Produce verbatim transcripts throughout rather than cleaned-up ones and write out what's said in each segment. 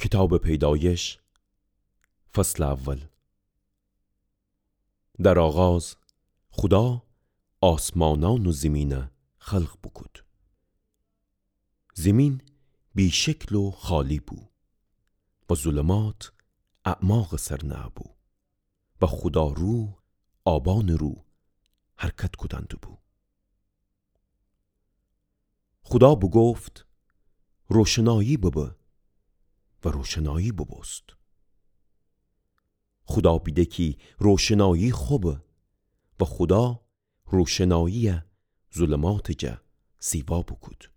کیتابٚ پیدایش، فصلٚ اول. در آغاز خودا آسمانأن و زیمینَ خلق بوکود. زیمین بی‌شکل و خالی بو و ظلمات اعماقٚ سر نأبو و خودا روح آبانٚ رو حرکت کودن دوبو. خودا بوگفت: روشنایی ببه، و روشنایی بوبوست. خودا بیده کی روشنایی خوبه و خودا روشناییَ ظلماتٚ جا سیوا بوکود.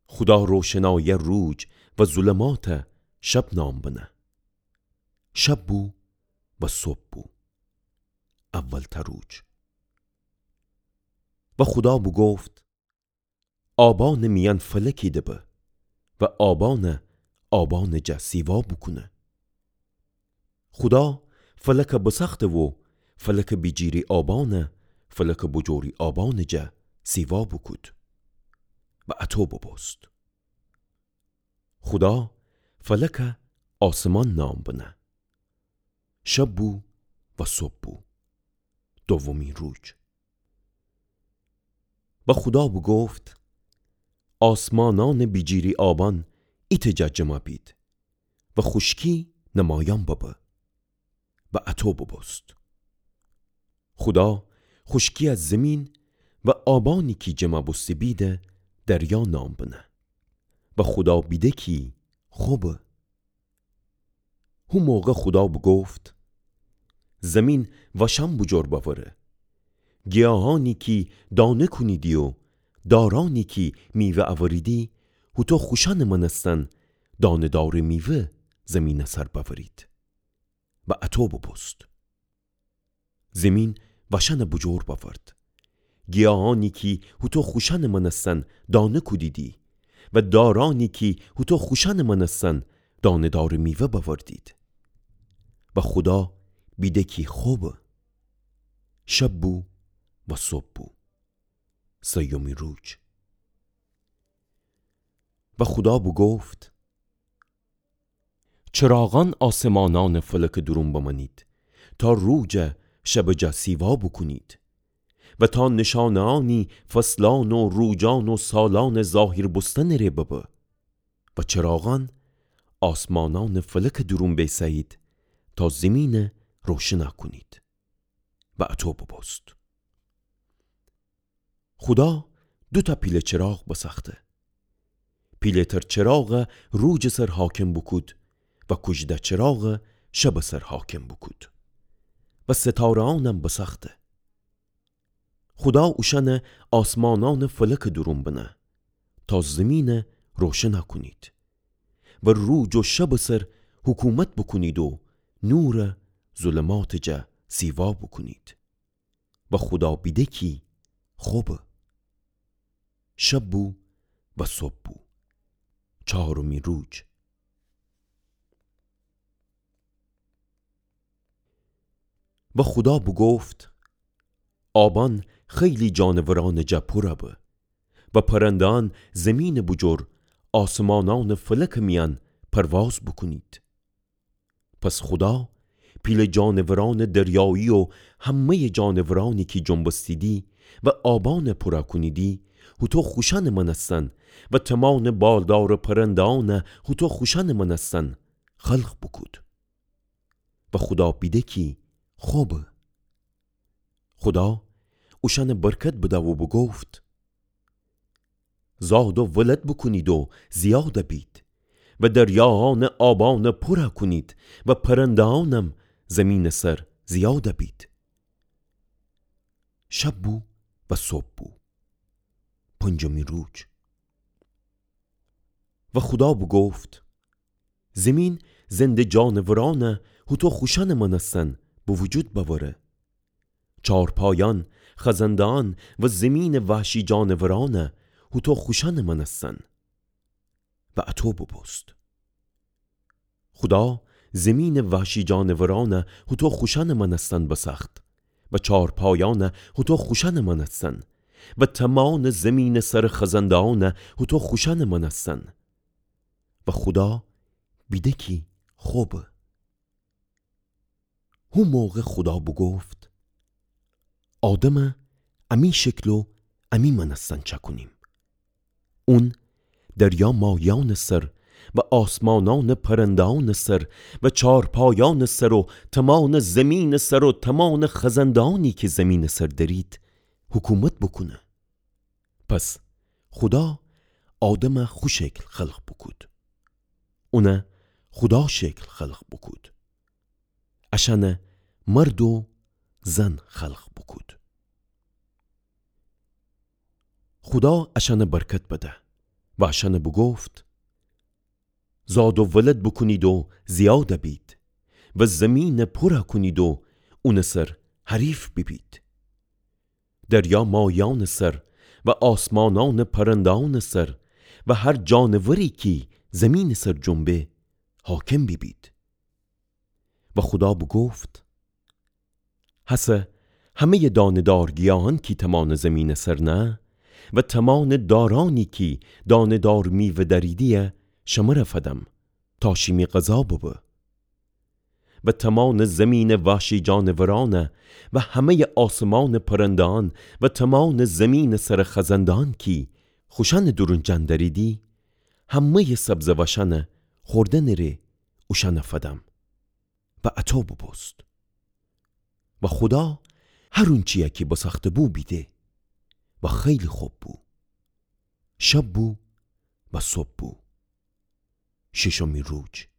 خودا روشناییَ روج و ظلماتَ شب نام بنه. شب بو و صبح بو، اولتأ روج. و خودا بوگفت: آبانٚ میأن فلکی دبه و آبانَ آبانٚ جا سیوا بوکونه. خودا فلکَ بساخته و فلکٚ بیجیری آبانَ فلکٚ بوجوری آبانٚ جا سیوا بوکود و اطو بوبوست. خودا فلکَ آسمان نام بنه. شب بو و صبح بو، دومی روج. و خودا بوگفت: آسمانأنٚ بیجیری آبان ایتأ جا جمع بید و خوشکی نمایان ببه. و اطو بوبوست. خودا خوشکیَ زیمین و آبانی کی جمع بوسته بیدَ دریا نام بنه. و خودا بیده کی خوبه. هو موقع خودا بوگفت: زیمین وأشأن بوجور بأوره. گیاهأنی کی دانه کونیدی و دارأنی کی میوه أوریدی، هوطو خوشأنٚ مأنستن دانه‌دارٚ میوه زیمینٚ سر بأورید. و اطو بوبوست. زیمین وأشأنَ بوجور بأورد. گیاهأنی کی هوطو خوشأنٚ مأنستن دانه کودیدی و دارأنی کی هوطو خوشأنٚ مأنستن دانه‌دارٚ میوه بأوردید. و خودا بیده کی خوبه. شب بو و صبح بو، سیمی روج. و خودا بوگفت: چراغأن آسمانأنٚ فلکٚ دورون بمأنید، تا روجَ شبٚ جا سیوا بوکونید و تا نشانه‌أنی فصلأن و روجأن و سالأنٚ ظاهیر بوستنٚ ره ببه. و چراغأن آسمانأنٚ فلکٚ دورون بیسه‌یید، تا زیمینَ روشنَ کونید. و اطو بوبوست. خودا دوتأ پیله چراغ بسأخته. پیله‌تر چراغَ روجٚ سر حاکم بوکود و کوژده چراغَ شبٚ سر حاکم بوکود. و ستاره‌أنم بسأخته. خودا اوشأنَ آسمانأنٚ فلکٚ دورون بنه، تا زیمینَ روشنَ کونید و روج و شبٚ سر حکومت بوکونید و نورَ ظلماتٚ جا سیوا بوکونید. و خودا بیده کی خوبه. شب بو و صبح بو، چارمی روج. و خودا بوگفت: آبأن خیلی جانورأنٚ جا پورَ به و پرنده‌أن زیمینٚ بوجور آسمانأنٚ فلکٚ میأن پرواز بوکونید. پس خودا پیله جانورأنٚ دریایی و همه‌یٚ جانورأنی کی جنبستیدی و آبأنَ پورَ کونیدی، هوطو خوشأنٚ مأنستن و تمأنٚ بالدارٚ پرنده‌أنَ هوطو خوشأنٚ مأنستن خلق بوکود. و خودا بیده کی خوبه. خودا اوشأنَ برکت بده و بوگفت: زاد و ولد بوکونید و زیادَ بید و دریاهانٚ آبأنَ پورَ کونید و پرنده‌أنم زیمینٚ سر زیادَ بید. شب بو و صبح بو، پنجمی روج. و خودا بوگفت: زیمین زنده جانورأنَ هوطو خوشأنٚ مأنستن به وجود بأوره. چارپایأن، خزنده‌أن و زیمینٚ وحشی جانورأنَ هوطو خوشأنٚ مأنستن. و اطو بوبوست. خودا زیمینٚ وحشی جانورأنَ هوطو خوشأنٚ مأنستن بسأخت و چارپایأنَ هوطو خوشأنٚ مأنستن و تمأنٚ زیمینٚ سرٚ خزنده‌أنَ هوطو خوشأنٚ مأنستن. و خودا بیده کی خبه. هو موقع خودا بوگفت: آدمَ امی شکل و امی مأنستن چأکونیم. اون دریا مایأنٚ سر و آسمانأنٚ پرنده‌أنٚ سر و چارپایأنٚ سر و تمامٚ زمینٚ سر و تمامٚ خزنده‌أنی کی زمینٚ سر دأرید حکومت بوکونه. پس خودا آدمَ خو شکل خلق بوکود. اونَ خودا شکل خلق بوکود. اشأنَ مرد و زن خلق بوکود. خودا اشأنَ برکت بده و اشأنَ بوگفت: زاد و ولد بوکونید و زیادَ بید و زمینَ پورَ کونید و اونٚ سر حریف بیبید. دریا مایأنٚ سر و آسمانأنٚ پرنده‌أنٚ سر و هر جانوری کی زمینٚ سر جنبه حاکم بیبید. و خودا بوگفت: هسه همه‌یٚ دانه‌دار گیاهأن کی تمامٚ زمینٚ سر نه و تمامٚ دارأنی کی دانه‌دار میوه دأریدی‌یه شمره فدم تا شیمی غذا ببه. و تمامٚ زمینٚ وحشی جانورأنَ و همه‌یٚ آسمانٚ پرنده‌أن و تمامٚ زمینٚ سرٚ خزنده‌أن کی خوشأنٚ دورون جان دأریدی، همه‌یٚ سبزٚ وأشأنَ خوردنٚ ره اوشأنَ فدم. و اطو بوبوست. و خودا هر اونچی‌یَ کی بساخته‌بو بیده و خیلی خب بو. شب بو و صبح بو، ششمی روز.